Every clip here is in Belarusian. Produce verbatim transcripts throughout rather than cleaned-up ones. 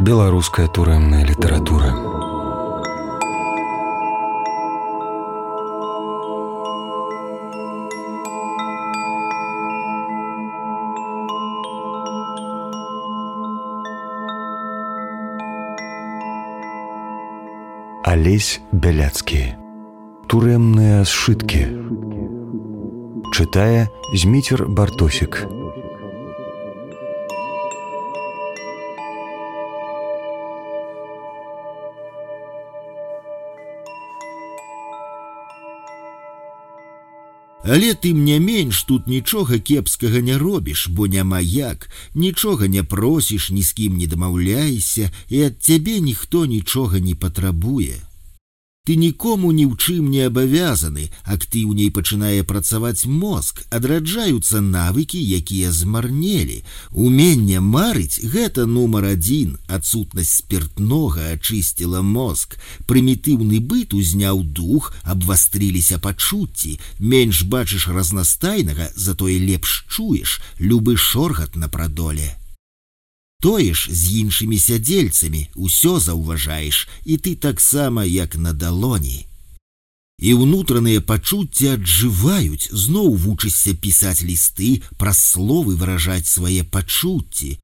Беларуская турэмная літаратура. Алесь Бяляцкі. Турэмныя сшыткі. Чытае Зміцер Бартосік. Але тым не менш тут нічога кепскага не робіш, бо няма як, нічога не просіш, ні з кім не дамаўляйся, і ад цябе ніхто нічога не патрабуе. Ты нікому ні ў чым не абавязаны, актыўней пачынае працаваць мозг, адраджаюцца навыкі, якія змарнелі. Уменне марыць – гэта нумар адзін, адсутнасць спіртнога ачысціла мозг. Прымітыўны быт узняў дух, абвастрыліся пачуцці. Менш бачыш разнастайнага, затое лепш чуеш, любы шоргат на прадоле. Тое ж з іншымі сядзельцамі, усё заўважаеш, і ты таксама, як на далоні. І ўнутраныя пачуцці аджываюць, зноў вучышся пісаць лісты, праз словы выражаць свае пачуцці.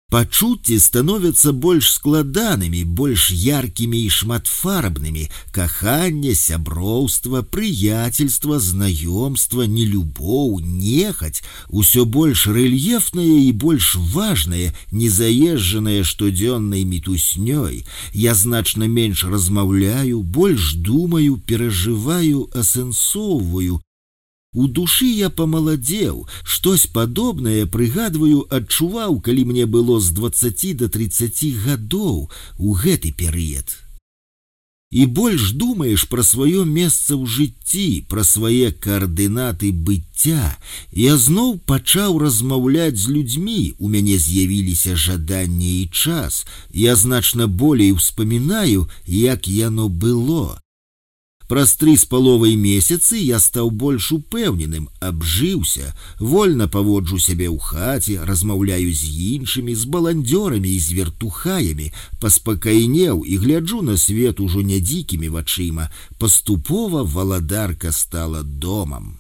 Пачуцці становяцца больш складанымі, больш яркімі і шматфарбнымі. Каханне, сяброўства, прыяцельства, знаёмства, нелюбоў, нехаць – усё больш рэльефнае і больш важнае, незаезджанае штодзённай мітуснёй. Я значна менш размаўляю, больш думаю, перажываю, асэнсоўваю. У душы я памаладзеў, штось падобнае, прыгадваю, адчуваў, калі мне было з дваццаці да трыццаці гадоў у гэты перыяд. І больш думаеш пра сваё месца ў жыцці, пра свае каардынаты быцця. Я зноў пачаў размаўляць з людзьмі, у мяне з'явіліся жаданне і час. Я значна болей успамінаю, як яно было. Праз тры з паловай месяцы я стаў больш упэўненым, абжыўся, вольна паводжу сябе ў хаце, размаўляю з іншымі, з баландзёрамі і з вертухаямі, паспакайнеў і гляджу на свет ужо не дзікімі вачыма. Паступова валадарка стала домам.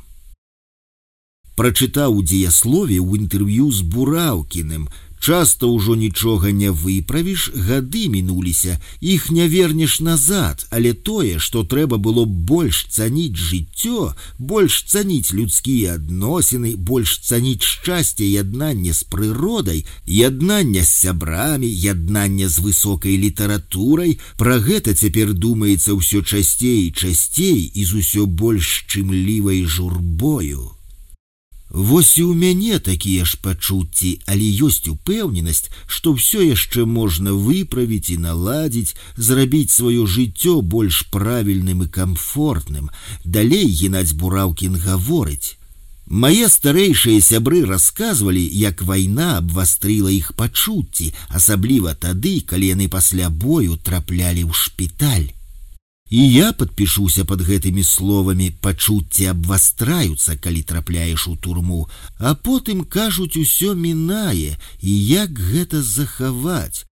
Прачытаў у дзеяслове ў інтэрв'ю з Бураўкіным. Часта ўжо нічога не выправіш, гады мінуліся, іх не вернеш назад, але тое, што трэба было больш цаніць жыццё, больш цаніць людскія адносіны, больш цаніць шчасце яднання з прыродай, яднання з сябрамі, яднання з высокай літаратурай, пра гэта цяпер думаецца ўсё часцей і часцей і з усё больш шчымлівай журбою. Вось і ў мяне такія ж пачуцці, але ёсць упэўненасць, што ўсё яшчэ можна выправіць і наладзіць, зрабіць сваё жыццё больш правільным і камфортным. Далей Геннадзь Бураўкін гаворыць: «Мае старэйшыя сябры расказвалі, як вайна абвастрыла іх пачуцці, асабліва тады, калі яны пасля бою траплялі ў шпіталь. І я падпішуся пад гэтымі словамі, пачуцці абвастраюцца, калі трапляеш у турму, а потым, кажуць, усё мінае, і як гэта захаваць.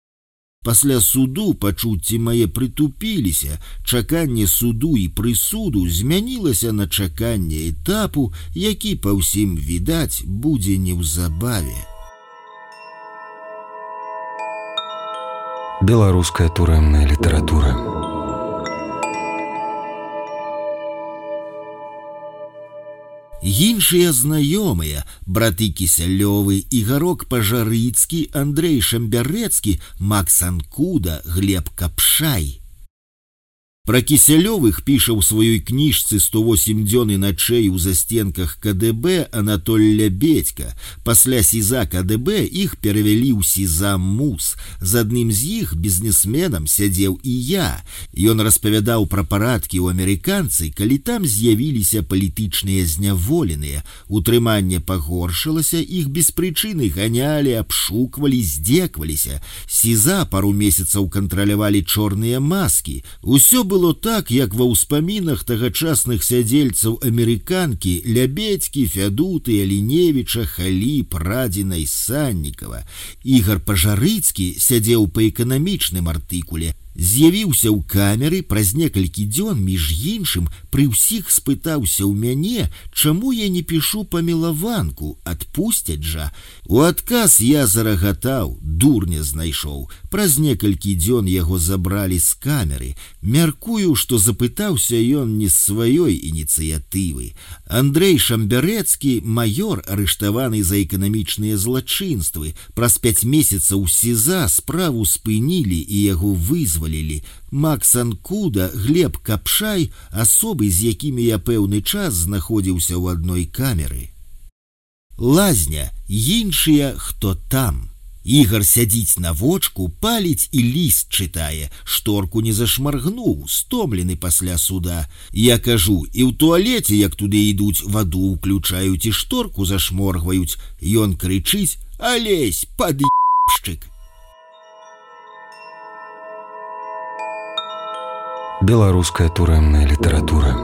Пасля суду пачуцці мае прытупіліся, чаканне суду і прысуду змянілася на чаканне этапу, які па ўсім відаць будзе неўзабаве». Беларуская турэмная літаратура. Іншыя знаёмыя, браты Кісялёвы, Ігарок Пажарыцкі, Андрэй Шамбярэцкі, Макс Анкуда, Глеб Капшай. Пра Кісялёвых піша ў сваёй кніжцы «сто восемь дзён і начэй у застенках ка дэ бэ» Анатоль Лябедька. Пасля СІЗА ка дэ бэ іх перавялі ў СІЗА МУС. З адным з іх, бізнесменам, сядзеў і я. Ён распавядаў пра парадкі ў амерыканцы, калі там з'явіліся палітычныя зняволеныя. Утрыманне пагоршылася, іх без прычыны ганялі, абшуквалі, здзекваліся. СІЗА пару месяцаў кантралявалі чорныя маскі. Усё было так, як ва ўспамінах тагачасных сядзельцаў амерыканкі Лябедзькі, Фядуты, Аліневіча, Халі, Прадзіна і Саннікава. Ігар Пажарыцкі сядзеў па эканамічным артыкуле, з'явіўся ў камеры праз некалькі дзён, між іншым, пры ўсіх спытаўся ў мяне, чаму я не пішу памілаванку, адпусцяць жа. У адказ я зарагатаў, дурня знайшоў. Праз некалькі дзён яго забралі з камеры. Мяркую, што запытаўся ён не з сваёй ініцыятывы. Андрэй Шамбярэцкі, маёр, арыштаваны за эканамічныя злачынствы. Праз пяць месяцаў СІЗА справу спынілі і яго вызвалілі. Макс Анкуда, Глеб Капшай, асобы, з якімі я пэўны час знаходзіўся ў адной камеры. Лазня, іншыя, хто там. Ігар сядзіць на вочку, паліць і ліст чытае, шторку не зашмаргнуў, стомлены пасля суда. Я кажу, і ў туалеце, як туды ідуць, ваду ўключаюць і шторку зашморгваюць. Ён крычыць: «Алесь, пад'ебшчык!» Беларуская турэмная літаратура.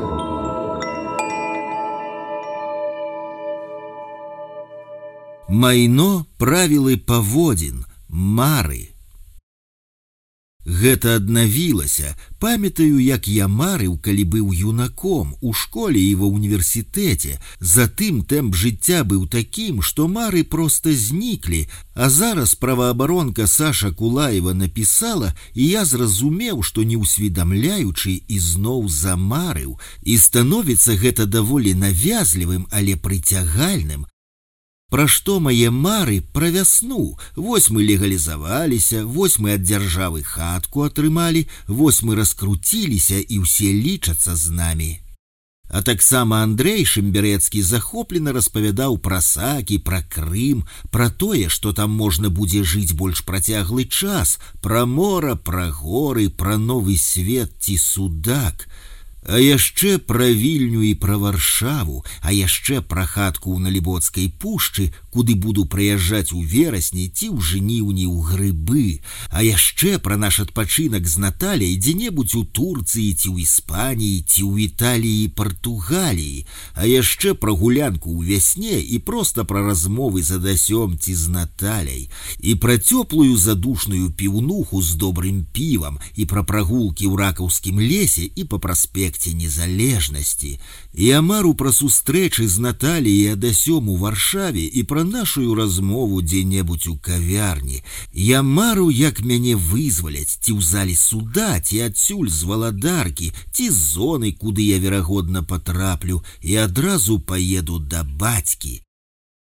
Майно, правілы паводзін, мары. Гэта аднавілася. Памятаю, як я марыў, калі быў юнаком, у школе і ва ўніверсітэце. Затым тэмп жыцця быў такім, што мары проста зніклі, а зараз праваабаронка Саша Кулаева напісала, і я зразумеў, што не ўсведамляючы, ізноў замарыў. І становіцца гэта даволі навязлівым, але прыцягальным. Пра што мае мары? Пра вясну. Вось мы легалізаваліся, вось мы ад дзяржавы хатку атрымалі, вось мы раскруціліся і ўсе лічацца з намі. А таксама Андрэй Шамбярэцкі захоплена распавядаў пра Сакі, пра Крым, пра тое, што там можна будзе жыць больш працяглы час, пра мора, пра горы, пра новы свет ці судак. А яшчэ пра Вільню і пра Варшаву, а яшчэ пра хатку ў Налібоцкай пушчы, куды буду прыязджаць у верасні ці ў жніўні ў грыбы, а яшчэ пра наш адпачынак з Наталяй дзе-небудзь у Турцыі ці ў Іспаніі ці ў Італіі і Партугаліі, а яшчэ пра гулянку ў вясне і проста пра размовы з Адасём ці з Наталяй, і пра цёплую задушную піўнуху з добрым півам, і пра прагулкі ў ракаўскім лесе і па праспекце незалежнасці. Я мару пра сустрэчы з Наталяй і Адасём у Варшаве і пра нашую размову дзе-небудзь у кавярні. Я мару, як мяне вызваляць, ці ў залі суда, ці адсюль з валадаркі, ці з зоны, куды я верагодна патраплю, і адразу паеду да бацькі.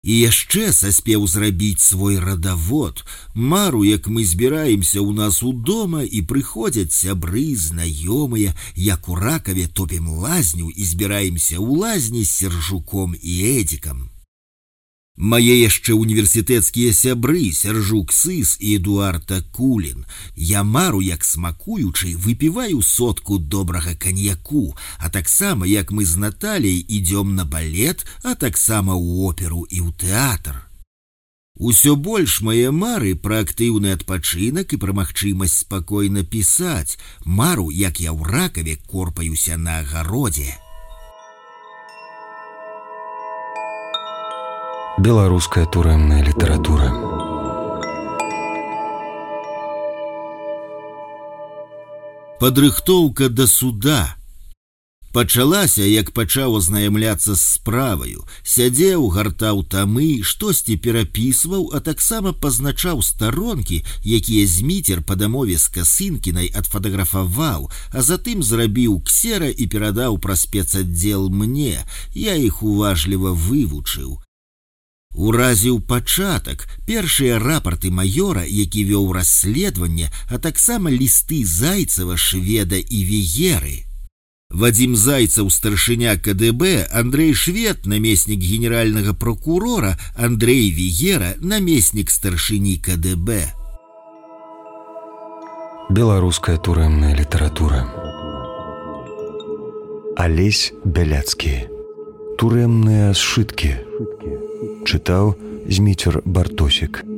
І яшчэ саспеў зрабіць свой радавод. Мару, як мы збіраемся ў нас удома і прыходзяць сябры, знаёмыя, як у Ракаве топім лазню і збіраемся ў лазні з Сержуком і Эдзікам. Мае яшчэ універсітэцкія сябры Сержук Сыс і Эдуард Акулін. Я мару, як смакуючы, выпіваю сотку добрага каньяку, а таксама, як мы з Наталяй ідём на балет, а таксама ў оперу і ў тэатр. Усё больш мае мары пра актыўны адпачынак і пра магчымасць спакойна пісаць. Мару, як я ў Ракаве корпаюся на агародзе. Беларуская турэмная літаратура. Падрыхтоўка да суда. Пачалася, як пачаў азнаямляцца з справаю. Сядзеў, гартаў тамы, штосьці перапісваў, а таксама пазначаў старонкі, якія Зміцер па дамове з Касынкінай адфатаграфаваў, а затым зрабіў ксера і перадаў пра спецаддзел мне. Я іх уважліва вывучыў. Уразіў пачатак, першыя рапарты маёра, які вёў расследаванне, а таксама лісты Зайцева, Шведа і Вегеры. Вадзім Зайцаў, старшыня КДБ, Андрэй Швед, намеснік генеральнага прокурора, Андрэй Вегера, намеснік старшыні КДБ. Беларуская турэмная літаратура. Алесь Бяляцкі. Турэмныя сшыткі. Чытаў Зміцер Бартосік.